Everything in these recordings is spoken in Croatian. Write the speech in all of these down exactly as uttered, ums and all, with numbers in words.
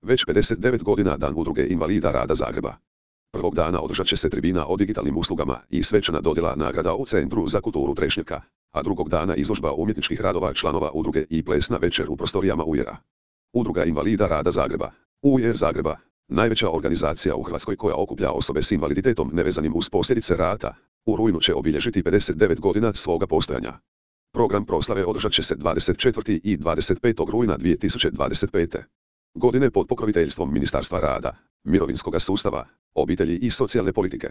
Već pedeset devet godina Dan Udruge invalida rada Zagreba. Prvog dana održat će se tribina o digitalnim uslugama i svečana dodjela nagrada u Centru za kulturu Trešnjevka, a drugog dana izložba umjetničkih radova članova udruge i plesna večer u prostorijama U I R-a. Udruga invalida rada Zagreba, U I R Zagreba, najveća organizacija u Hrvatskoj koja okuplja osobe s invaliditetom nevezanim uz posljedice rata, u rujnu će obilježiti pedeset devet godina svoga postojanja. Program proslave održat će se dvadeset četvrtog i dvadeset petog rujna dvije tisuće dvadeset pete. godine pod pokroviteljstvom Ministarstva rada, mirovinskoga sustava, obitelji i socijalne politike.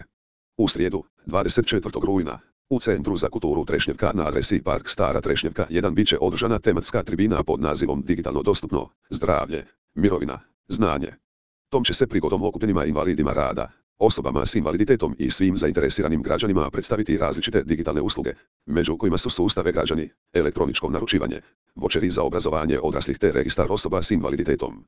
U srijedu, dvadeset četvrtog rujna, u Centru za kulturu Trešnjevka na adresi Park Stara Trešnjevka jedan bit će održana tematska tribina pod nazivom Digitalno dostupno, zdravlje, mirovina, znanje. Tom će se prigodom okupljenima invalidima rada, osobama s invaliditetom i svim zainteresiranim građanima predstaviti različite digitalne usluge, među kojima su sustav e-građani, elektroničko naručivanje, voucheri za obrazovanje odraslih te registar osoba s invaliditetom.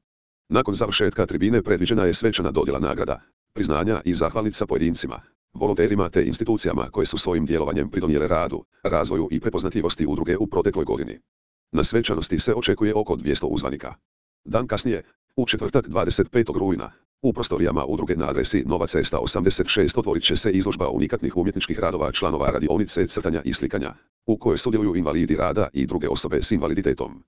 Nakon završetka tribine predviđena je svečana dodjela nagrada, priznanja i zahvalnica pojedincima, volonterima te institucijama koje su svojim djelovanjem pridonijele radu, razvoju i prepoznatljivosti udruge u protekloj godini. Na svečanosti se očekuje oko dvjesto uzvanika. Dan kasnije, u četvrtak dvadeset petog rujna, u prostorijama udruge na adresi Nova cesta osamdeset šest otvorit će se izložba unikatnih umjetničkih radova članova radionice crtanja i slikanja, u kojoj sudjeluju invalidi rada i druge osobe s invaliditetom.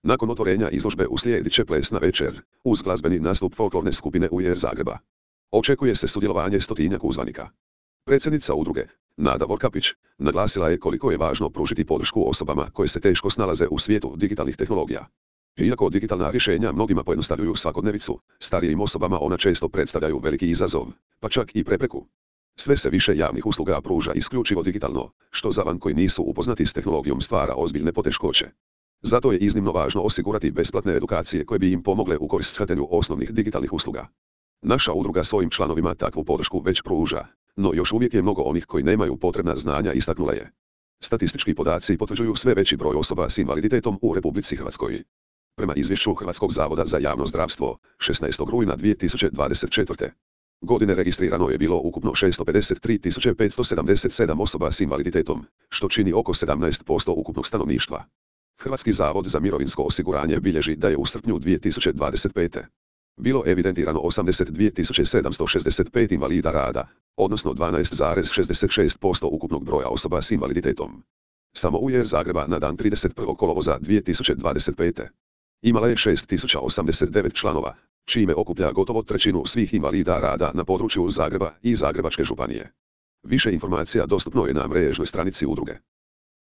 Nakon otvorenja izložbe uslijedit će plesna večer, uz glazbeni nastup folklorne skupine U I R Zagreba. Očekuje se sudjelovanje stotinjak uzvanika. Predsjednica udruge, Nada Vorkapić, naglasila je koliko je važno pružiti podršku osobama koje se teško snalaze u svijetu digitalnih tehnologija. Iako digitalna rješenja mnogima pojednostavljuju svakodnevicu, starijim osobama ona često predstavljaju veliki izazov, pa čak i prepreku. Sve se više javnih usluga pruža isključivo digitalno, što za one koji nisu upoznati s tehnologijom stvara ozbiljne poteškoće. Zato je iznimno važno osigurati besplatne edukacije koje bi im pomogle u korist shvaćanju osnovnih digitalnih usluga. Naša udruga svojim članovima takvu podršku već pruža, no još uvijek je mnogo onih koji nemaju potrebna znanja, istaknula je. Statistički podaci potvrđuju sve veći broj osoba s invaliditetom u Republici Hrvatskoj. Prema izvješću Hrvatskog zavoda za javno zdravstvo, šesnaestog rujna dvije tisuće dvadeset četvrte. godine registrirano je bilo ukupno šesto pedeset tri tisuće petsto sedamdeset sedam osoba s invaliditetom, što čini oko sedamnaest posto ukupnog stanovništva. Hrvatski zavod za mirovinsko osiguranje bilježi da je u srpnju dvije tisuće dvadeset pete. bilo evidentirano osamdeset dvije tisuće sedamsto šezdeset pet invalida rada, odnosno dvanaest zarez šezdeset šest posto ukupnog broja osoba s invaliditetom. Samo U I R Zagreba na dan trideset prvog kolovoza dvije tisuće dvadeset pete. imala je šest tisuća osamdeset devet članova, čime okuplja gotovo trećinu svih invalida rada na području Zagreba i Zagrebačke županije. Više informacija dostupno je na mrežnoj stranici udruge.